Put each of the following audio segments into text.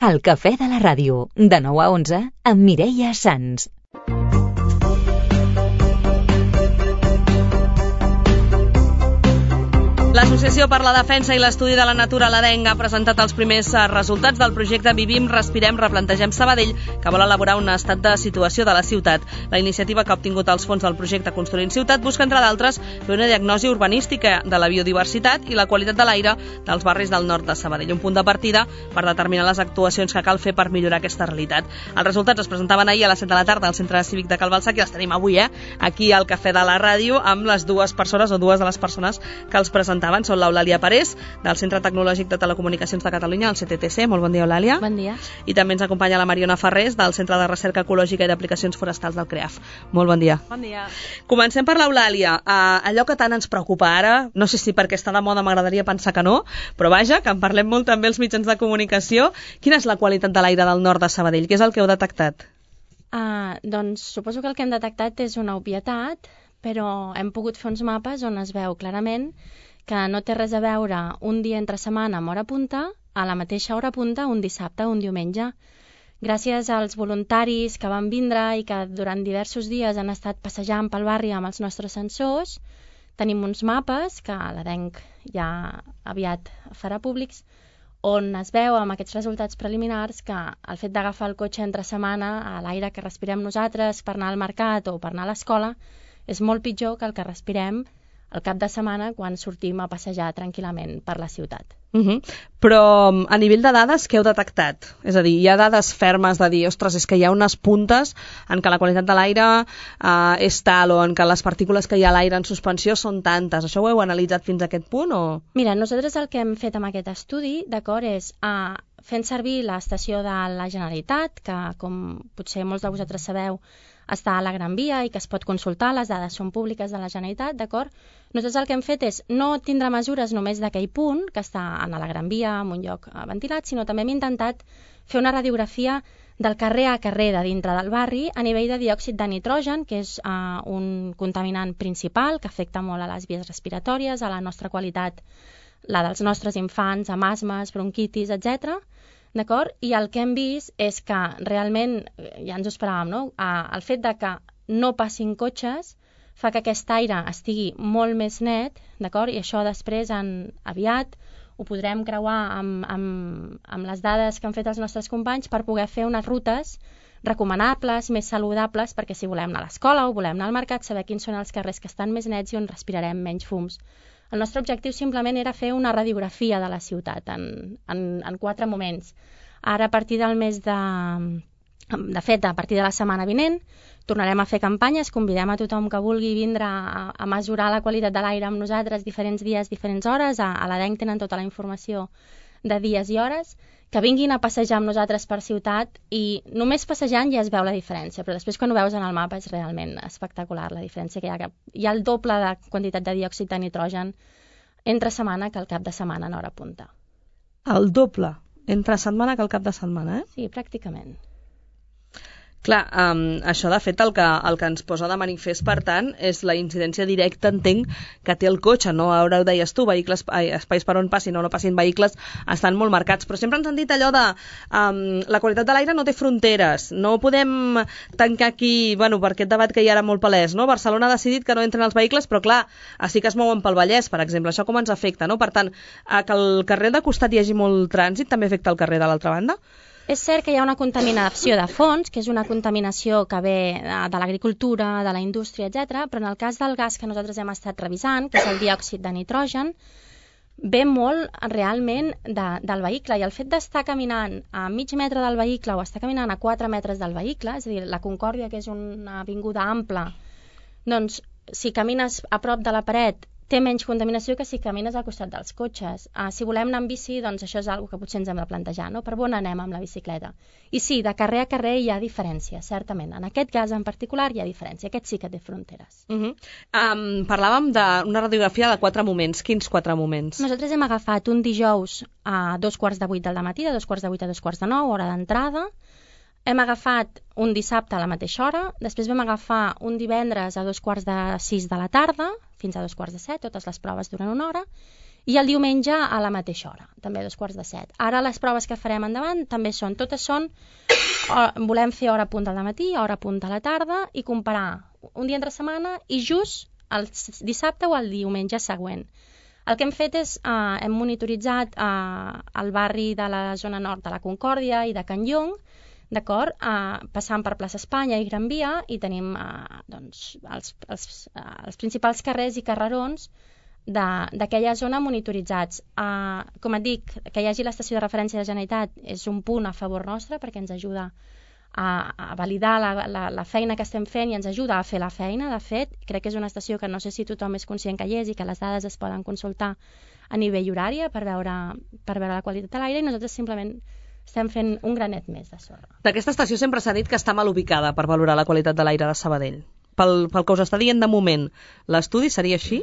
El cafè de la ràdio, de 9 a 11, amb Mireia Sans. L'Associació per la Defensa i l'Estudi de la Natura, l'ADENG, ha presentat els primers resultats del projecte Vivim, Respirem, Replantegem Sabadell, que vol elaborar un estat de situació de la ciutat. La iniciativa, que ha obtingut els fons del projecte Construint Ciutat, busca, entre d'altres, fer una diagnosi urbanística de la biodiversitat i la qualitat de l'aire dels barris del nord de Sabadell, un punt de partida per determinar les actuacions que cal fer per millorar aquesta realitat. Els resultats es presentaven ahir a les 7 de la tarda al Centre Cívic de Cal Balsac i els tenim avui, aquí al Cafè de la Ràdio, amb les dues persones o dues de les persones que els presentaven. Són l'Eulàlia Parés, del Centre Tecnològic de Telecomunicacions de Catalunya, el CTTC. Molt bon dia, Eulàlia. Bon dia. I també ens acompanya la Mariona Ferrés, del Centre de Recerca Ecològica i d'Aplicacions Forestals del CREAF. Molt bon dia. Bon dia. Comencem per l'Eulàlia. Allò que tant ens preocupa ara, no sé si perquè està de moda, m'agradaria pensar que no, però vaja, que en parlem molt també els mitjans de comunicació. Quina és la qualitat de l'aire del nord de Sabadell? Què és el que heu detectat? Doncs suposo que el que hem detectat és una obvietat, però hem pogut fer uns mapes on es veu clarament que no té res a veure un dia entre setmana amb hora punta a la mateixa hora punta un dissabte o un diumenge. Gràcies als voluntaris que van vindre i que durant diversos dies han estat passejant pel barri amb els nostres sensors, tenim uns mapes que l'ADENG ja aviat farà públics, on es veu amb aquests resultats preliminars que el fet d'agafar el cotxe entre setmana a l'aire que respirem nosaltres per anar al mercat o per anar a l'escola és molt pitjor que el que respirem al cap de setmana quan sortim a passejar tranquil·lament per la ciutat. Però a nivell de dades, què heu detectat? És a dir, hi ha dades fermes de dir, ostres, és que hi ha unes puntes en què la qualitat de l'aire és tal, o en què les partícules que hi ha a l'aire en suspensió són tantes. Això ho heu analitzat fins a aquest punt? O? Mira, nosaltres el que hem fet amb aquest estudi, d'acord, és fent servir l'estació de la Generalitat, que com potser molts de vosaltres sabeu, està a la Gran Via i que es pot consultar, les dades són públiques de la Generalitat, d'acord? Nosaltres el que hem fet és no tindre mesures només d'aquell punt, que està a la Gran Via, en un lloc ventilat, sinó també hem intentat fer una radiografia del carrer a carrer de dintre del barri a nivell de diòxid de nitrogen, que és un contaminant principal que afecta molt a les vies respiratòries, a la nostra qualitat, la dels nostres infants, amb asmes, bronquitis, etc. D'acord? I el que hem vist és que realment, ja ens ho esperàvem, no? El fet de que no passin cotxes fa que aquest aire estigui molt més net, d'acord? I això després, aviat, ho podrem creuar amb les dades que han fet els nostres companys per poder fer unes rutes recomanables, més saludables, perquè si volem anar a l'escola o volem anar al mercat, saber quins són els carrers que estan més nets i on respirarem menys fums. El nostre objectiu simplement era fer una radiografia de la ciutat en 4 moments. Ara, a partir del mes de fet, a partir de la setmana vinent, tornarem a fer campanyes, convidem a tothom que vulgui vindre a mesurar la qualitat de l'aire amb nosaltres diferents dies, diferents hores. A l'ADENG tenen tota la informació de dies i hores, que vinguin a passejar amb nosaltres per ciutat i només passejant ja es veu la diferència, però després quan ho veus en el mapa és realment espectacular la diferència que hi ha. Hi ha el doble de quantitat de diòxid de nitrogen entre setmana que al cap de setmana en hora punta. El doble entre setmana que al cap de setmana, Sí, pràcticament. Clar, això de fet el que ens posa de manifest, per tant, és la incidència directa, entenc, que té el cotxe, no? Ara ho deies tu, espais per on passin o no passin vehicles estan molt marcats, però sempre ens han dit allò de la qualitat de l'aire no té fronteres, no podem tancar aquí, per aquest debat que hi ha ara molt palès, no? Barcelona ha decidit que no entren els vehicles, però clar, sí que es mouen pel Vallès, per exemple, això com ens afecta, no? Per tant, que el carrer de costat hi hagi molt trànsit també afecta el carrer de l'altra banda? És cert que hi ha una contaminació de fons, que és una contaminació que ve de l'agricultura, de la indústria, etc. Però en el cas del gas que nosaltres hem estat revisant, que és el diòxid de nitrogen, ve molt realment del vehicle, i el fet d'estar caminant a mig metre del vehicle o estar caminant a 4 metres del vehicle, és a dir, la Concòrdia, que és una avinguda ampla, doncs si camines a prop de la paret té menys contaminació que si camines al costat dels cotxes. Si volem anar amb bici, doncs això és una cosa que potser ens hem de plantejar, no? Per on anem amb la bicicleta? I sí, de carrer a carrer hi ha diferència, certament. En aquest cas en particular hi ha diferència. Aquest sí que té fronteres. Parlàvem d'una radiografia de 4 moments. Quins 4 moments? Nosaltres hem agafat un dijous a 7:45 del matí, de 7:45 a 8:45, hora d'entrada. Hem agafat un dissabte a la mateixa hora, després vam agafar un divendres a 5:45 de la tarda, fins a 5:45, totes les proves duren una hora, i el diumenge a la mateixa hora, també a 7:15. Ara les proves que farem endavant també totes són, volem fer hora punta al matí, hora punta a la tarda i comparar un dia entre setmana i just el dissabte o el diumenge següent. El que hem fet és, hem monitoritzat el barri de la zona nord de la Concòrdia i de Can Llong, d'acord, passant per plaça Espanya i Gran Via, i tenim els principals carrers i carrerons d'aquella zona monitoritzats. Com et dic, que hi hagi l'estació de referència de la Generalitat és un punt a favor nostre perquè ens ajuda a validar la feina que estem fent i ens ajuda a fer la feina. De fet, crec que és una estació que no sé si tothom és conscient que hi és i que les dades es poden consultar a nivell horari per veure la qualitat de l'aire, i nosaltres simplement estem fent un granet més de sorra. D'aquesta estació sempre s'ha dit que està mal ubicada per valorar la qualitat de l'aire de Sabadell. Pel que us està dient de moment, l'estudi seria així?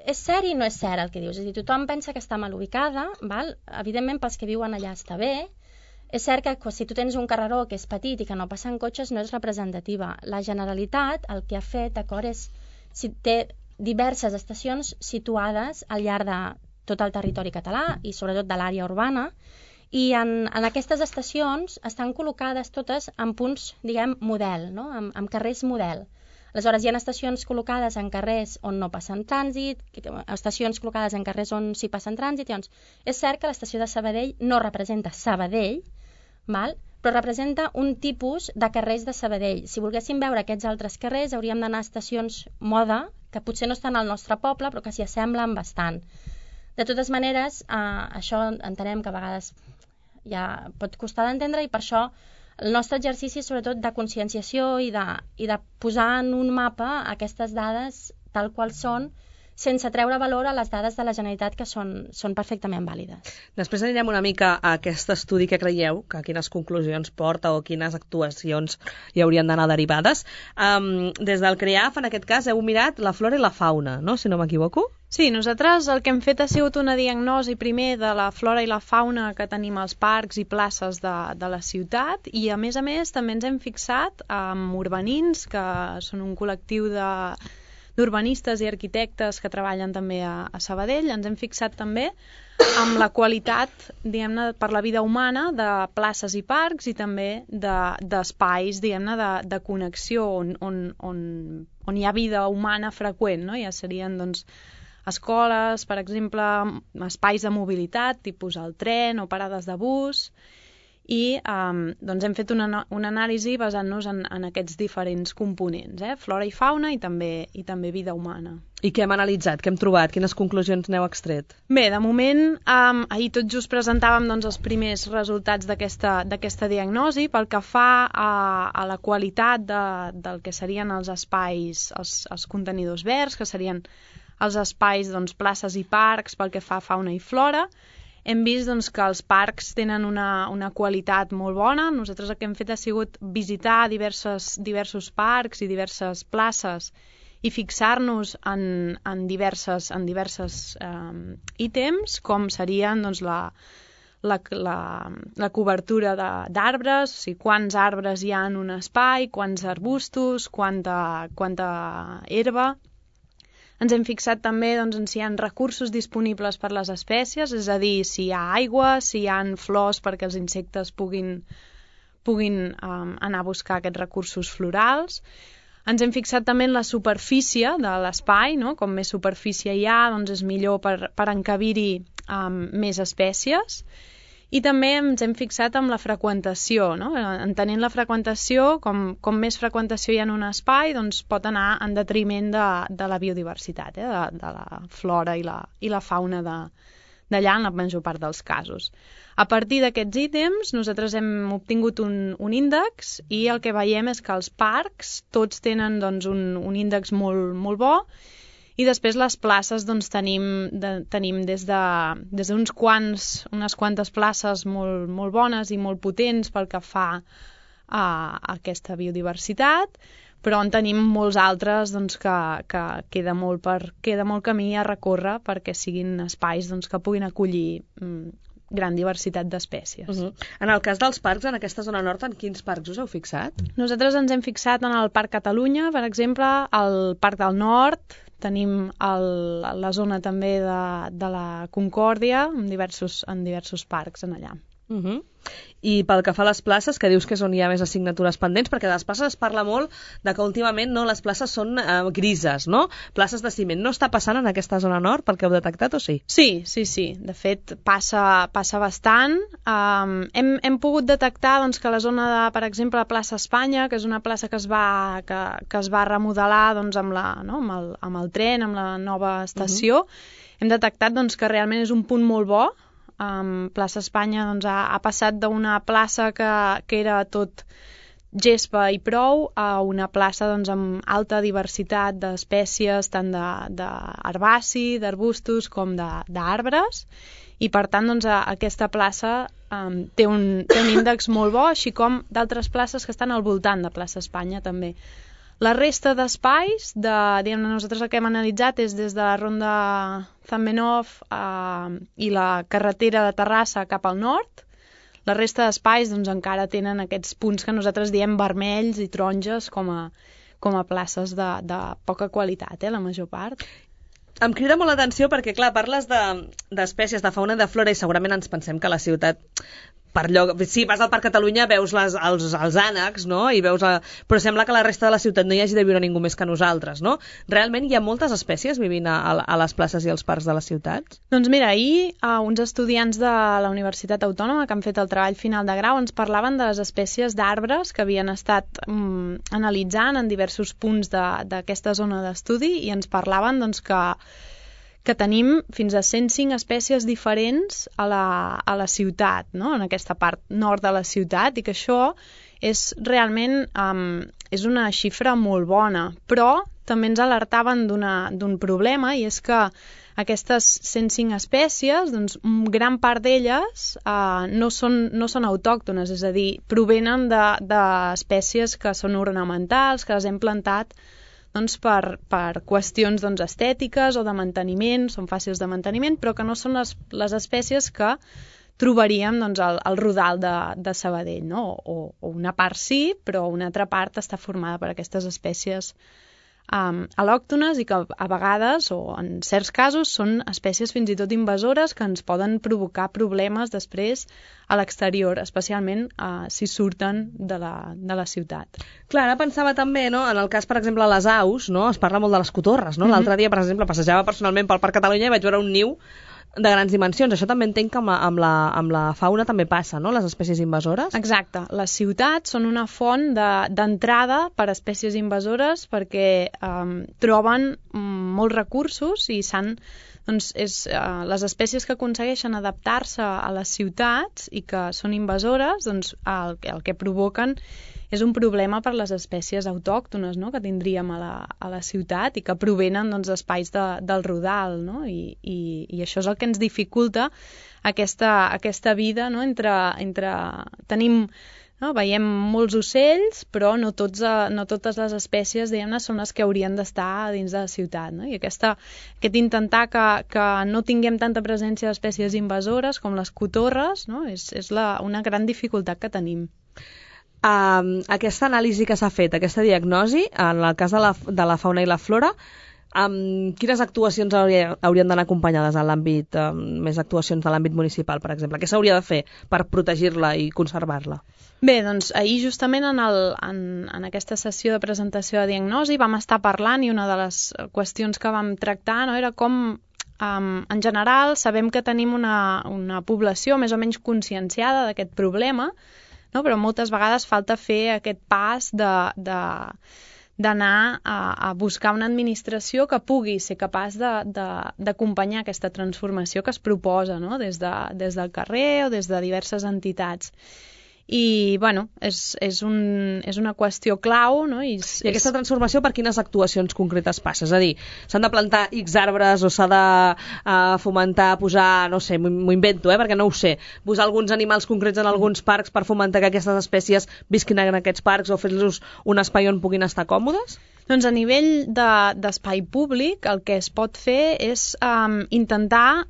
És cert i no és cert el que dius. És a dir, tothom pensa que està mal ubicada, val? Evidentment pels que viuen allà està bé. És cert que si tu tens un carreró que és petit i que no passen cotxes no és representativa. La Generalitat el que ha fet, d'acord, és té diverses estacions situades al llarg de tot el territori català i sobretot de l'àrea urbana, i en aquestes estacions estan col·locades totes en punts, diguem, model, no? En carrers model. Aleshores, hi ha estacions col·locades en carrers on no passen trànsit, estacions col·locades en carrers on sí passen trànsit. Llavors, és cert que l'estació de Sabadell no representa Sabadell, val? Però representa un tipus de carrers de Sabadell. Si volguéssim veure aquests altres carrers, hauríem d'anar a estacions moda, que potser no estan al nostre poble, però que s'hi assemblen bastant. De totes maneres, això entenem que a vegades ja pot costar d'entendre, i per això el nostre exercici és sobretot de conscienciació i de posar en un mapa aquestes dades tal qual són, sense treure valor a les dades de la Generalitat, que són perfectament vàlides. Després anirem una mica a aquest estudi que creieu, que quines conclusions porta o quines actuacions hi haurien d'anar derivades. Des del CREAF, en aquest cas, heu mirat la flora i la fauna, no?, si no m'equivoco? Sí, nosaltres el que hem fet ha sigut una diagnosi primer de la flora i la fauna que tenim als parcs i places de la ciutat, i a més també ens hem fixat amb urbanins, que són un col·lectiu d'urbanistes i arquitectes que treballen també a Sabadell. Ens hem fixat també amb la qualitat, diguem-ne, per la vida humana de places i parcs, i també d'espais, diguem-ne, de connexió on hi ha vida humana freqüent, no? Ja serien, doncs, escoles, per exemple, espais de mobilitat, tipus el tren o parades de bus, i doncs hem fet una anàlisi basant-nos en aquests diferents components, flora i fauna i també vida humana. I què hem analitzat? Què hem trobat? Quines conclusions n'heu extret? Bé, de moment, ahir tot just presentàvem els primers resultats d'aquesta diagnosi. Pel que fa a la qualitat del que serien els espais, els contenidors verds, que serien els espais, places i parcs pel que fa a fauna i flora, hem vist que els parcs tenen una qualitat molt bona. Nosaltres el que hem fet ha sigut visitar diversos parcs i diverses places i fixar-nos en diverses ítems, com serien la cobertura d'arbres, o sigui, quants arbres hi ha en un espai, quants arbustos, quanta herba. Ens hem fixat també en si hi ha recursos disponibles per les espècies, és a dir, si hi ha aigua, si hi ha flors perquè els insectes puguin anar a buscar aquests recursos florals. Ens hem fixat també en la superfície de l'espai, no? Com més superfície hi ha, doncs és millor per encabir-hi més espècies. I també ens hem fixat en la freqüentació, no? Entenent la freqüentació, com més freqüentació hi ha en un espai, doncs pot anar en detriment de la biodiversitat, de la flora i la fauna d'allà en la major part dels casos. A partir d'aquests ítems, nosaltres hem obtingut un índex, i el que veiem és que els parcs tots tenen un índex molt, molt bo, i després les places tenim des d'unes quantes places molt, molt bones i molt potents pel que fa a aquesta biodiversitat, però en tenim molts altres que queda molt camí a recórrer perquè siguin espais que puguin acollir gran diversitat d'espècies. En el cas dels parcs, en aquesta zona nord, en quins parcs us heu fixat? Nosaltres ens hem fixat en el Parc Catalunya, per exemple, al Parc del Nord, tenim la zona també de la Concòrdia, en diversos parcs en allà. I pel que fa a les places, que dius que és on hi ha més assignatures pendents, perquè de les places es parla molt de que últimament les places són grises, no? Places de ciment. No està passant en aquesta zona nord, perquè heu detectat, o sí? Sí. De fet, passa bastant. Hem pogut detectar doncs, que la zona de, per exemple, la plaça Espanya, que és una plaça que es va remodelar doncs, amb el tren, amb la nova estació, hem detectat doncs, que realment és un punt molt bo. Plaça Espanya doncs, ha passat d'una plaça que era tot gespa i prou a una plaça doncs, amb alta diversitat d'espècies, tant d'herbaci, d'arbustos com d'arbres, i per tant doncs, aquesta plaça té un índex molt bo, així com d'altres places que estan al voltant de plaça Espanya també. La resta d'espais, nosaltres el que hem analitzat és des de la ronda Zamenhof i la carretera de Terrassa cap al nord. La resta d'espais doncs, encara tenen aquests punts que nosaltres diem vermells i taronges com a places de poca qualitat, la major part. Em crida molt l'atenció perquè, clar, parles d'espècies de fauna i de flora i segurament ens pensem que la ciutat... Sí, vas al Parc Catalunya, veus els ànecs, no? Però sembla que a la resta de la ciutat no hi hagi de viure ningú més que nosaltres, no? Realment hi ha moltes espècies vivint a les places i als parcs de les ciutats? Doncs mira, ahir uns estudiants de la Universitat Autònoma que han fet el treball final de grau ens parlaven de les espècies d'arbres que havien estat analitzant en diversos punts d'aquesta zona d'estudi i ens parlaven doncs, que tenim fins a 105 espècies diferents a la ciutat, no? En aquesta part nord de la ciutat, i que això és realment és una xifra molt bona, però també ens alertaven d'un problema, i és que aquestes 105 espècies, doncs, gran part d'elles no són autòctones, és a dir, provenen d'espècies que són ornamentals, que les hem plantat doncs, per qüestions doncs, estètiques o de manteniment, són fàcils de manteniment, però que no són les espècies que trobaríem doncs, al Rodal de Sabadell, no? O una part sí, però una altra part està formada per aquestes espècies al·lòctones i que a vegades, o en certs casos, són espècies fins i tot invasores que ens poden provocar problemes després a l'exterior, especialment si surten de la ciutat. Clar, ara pensava també, no, en el cas, per exemple, les aus, no, es parla molt de les cotorres, no? L'altre dia, per exemple, passejava personalment pel Parc Catalunya i vaig veure un niu de grans dimensions. Això també entenc que amb la fauna també passa, no?, les espècies invasores. Exacte. Les ciutats són una font d'entrada per a espècies invasores perquè troben molts recursos i les espècies que aconsegueixen adaptar-se a les ciutats i que són invasores, doncs el que provoquen és un problema per les espècies autòctones, no?, que tindríem a la ciutat i que provenen doncs, d'espais del Rodal, no? I això és el que ens dificulta aquesta vida, no? entre tenim, no? Veiem molts ocells, però no totes les espècies, diguem-ne, són les que haurien d'estar dins de la ciutat, no? I aquest intentar que no tinguem tanta presència d'espècies invasores com les cotorres, no? És una gran dificultat que tenim. Aquesta anàlisi que s'ha fet, aquesta diagnosi, en el cas de la fauna i la flora, quines actuacions haurien d'anar acompanyades en l'àmbit, més actuacions de l'àmbit municipal, per exemple? Què s'hauria de fer per protegir-la i conservar-la? Bé, doncs ahir justament en aquesta sessió de presentació de diagnosi vam estar parlant i una de les qüestions que vam tractar, no, era com en general sabem que tenim una població més o menys conscienciada d'aquest problema, no? Però moltes vegades falta fer aquest pas d'anar a buscar una administració que pugui ser capaç d'acompanyar aquesta transformació que es proposa, no? Des del carrer o des de diverses entitats. I, bueno, és una qüestió clau, no? I aquesta transformació per quines actuacions concretes passa? És a dir, s'han de plantar X arbres o s'ha de fomentar, posar, no sé, m'ho invento, perquè no ho sé, posar alguns animals concrets en alguns parcs per fomentar que aquestes espècies visquin en aquests parcs o fer-los un espai on puguin estar còmodes? Doncs a nivell d'espai públic el que es pot fer és intentar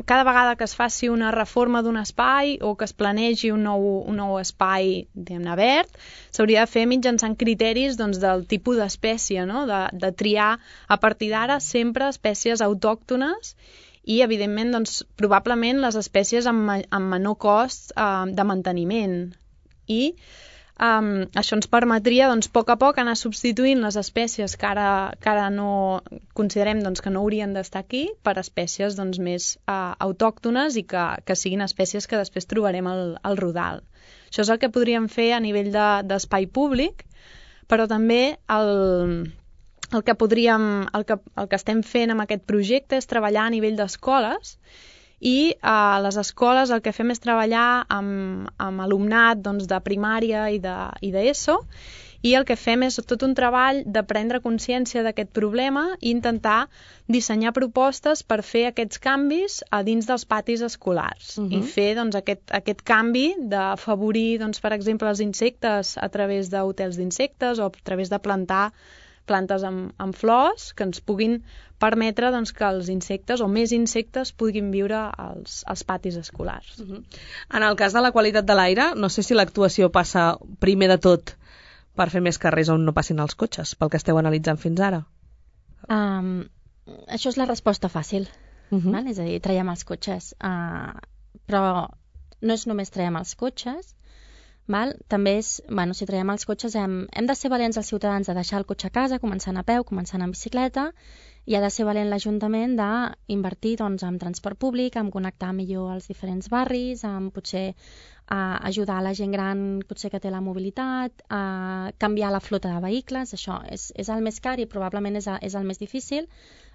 cada vegada que es faci una reforma d'un espai o que es planegi un nou espai, diguem-ne, verd, s'hauria de fer mitjançant criteris doncs, del tipus d'espècie, no? De triar a partir d'ara sempre espècies autòctones i, evidentment, doncs, probablement les espècies amb menor cost de manteniment. I això ens permetria, doncs, a poc anar substituint les espècies que ara no considerem doncs, que no haurien d'estar aquí per espècies doncs, més autòctones i que siguin espècies que després trobarem al Rodal. Això és el que podríem fer a nivell d'espai públic, però també el que estem fent amb aquest projecte és treballar a nivell d'escoles i a les escoles el que fem és treballar amb alumnat doncs, de primària i d'ESO i el que fem és tot un treball de prendre consciència d'aquest problema i intentar dissenyar propostes per fer aquests canvis a dins dels patis escolars i fer doncs, aquest canvi d'afavorir, doncs, per exemple, els insectes a través d'hotels d'insectes o a través de plantar plantes amb flors que ens puguin permetre doncs, que els insectes o més insectes puguin viure als patis escolars. En el cas de la qualitat de l'aire, no sé si l'actuació passa primer de tot per fer més carrers on no passin els cotxes, pel que esteu analitzant fins ara. Això és la resposta fàcil, val? És a dir, traiem els cotxes. Però no és només traiem els cotxes, val? També és, si traiem els cotxes hem de ser valents els ciutadans de deixar el cotxe a casa, començant a peu, començant en bicicleta, i ha de ser valent l'Ajuntament d'invertir doncs, en transport públic, en connectar millor els diferents barris, en potser ajudar la gent gran potser que té la mobilitat, a canviar la flota de vehicles. Això és el més car i probablement és el més difícil.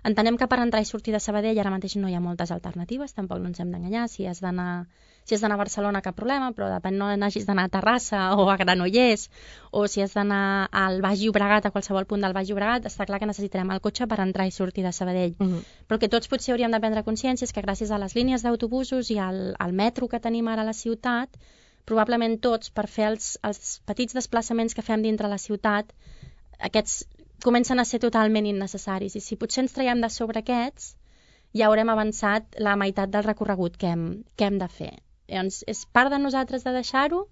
Entenem que per entrar i sortir de Sabadell ara mateix no hi ha moltes alternatives, tampoc no ens hem d'enganyar. Si has d'anar a Barcelona, cap problema, però depèn, no n'hagis d'anar a Terrassa o a Granollers, o si has d'anar al Baix Llobregat, a qualsevol punt del Baix Llobregat, està clar que necessitarem el cotxe per entrar i sortir de Sabadell. Però que tots potser hauríem de prendre consciència és que gràcies a les línies d'autobusos i al metro que tenim ara a la ciutat, probablement tots, per fer els petits desplaçaments que fem dintre la ciutat, aquests comencen a ser totalment innecessaris. I si potser ens traiem de sobre aquests, ja haurem avançat la meitat del recorregut que hem de fer. Llavors, és part de nosaltres de deixar-ho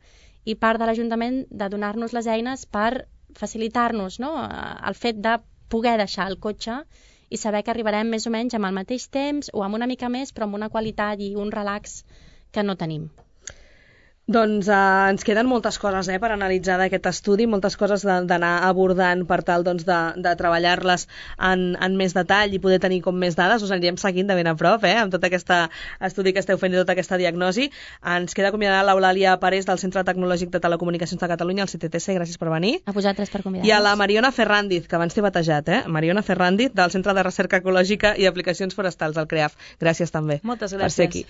i part de l'Ajuntament de donar-nos les eines per facilitar-nos, no?, el fet de poder deixar el cotxe i saber que arribarem més o menys amb el mateix temps o amb una mica més, però amb una qualitat i un relax que no tenim. Doncs ens queden moltes coses per analitzar d'aquest estudi, moltes coses d'anar abordant per tal doncs, de treballar-les en més detall i poder tenir com més dades. Us anirem seguint de ben a prop amb tot aquest estudi que esteu fent i tota aquesta diagnosi. Ens queda acomiadar l'Eulàlia Parés del Centre Tecnològic de Telecomunicacions de Catalunya, el CTTC. Gràcies per venir. A vosaltres per convidar-nos. I a la Mariona Ferrandiz, que abans t'he batejat, Mariona Ferrandiz, del Centre de Recerca Ecològica i Aplicacions Forestals, el CREAF. Gràcies també. Moltes gràcies. Per ser aquí.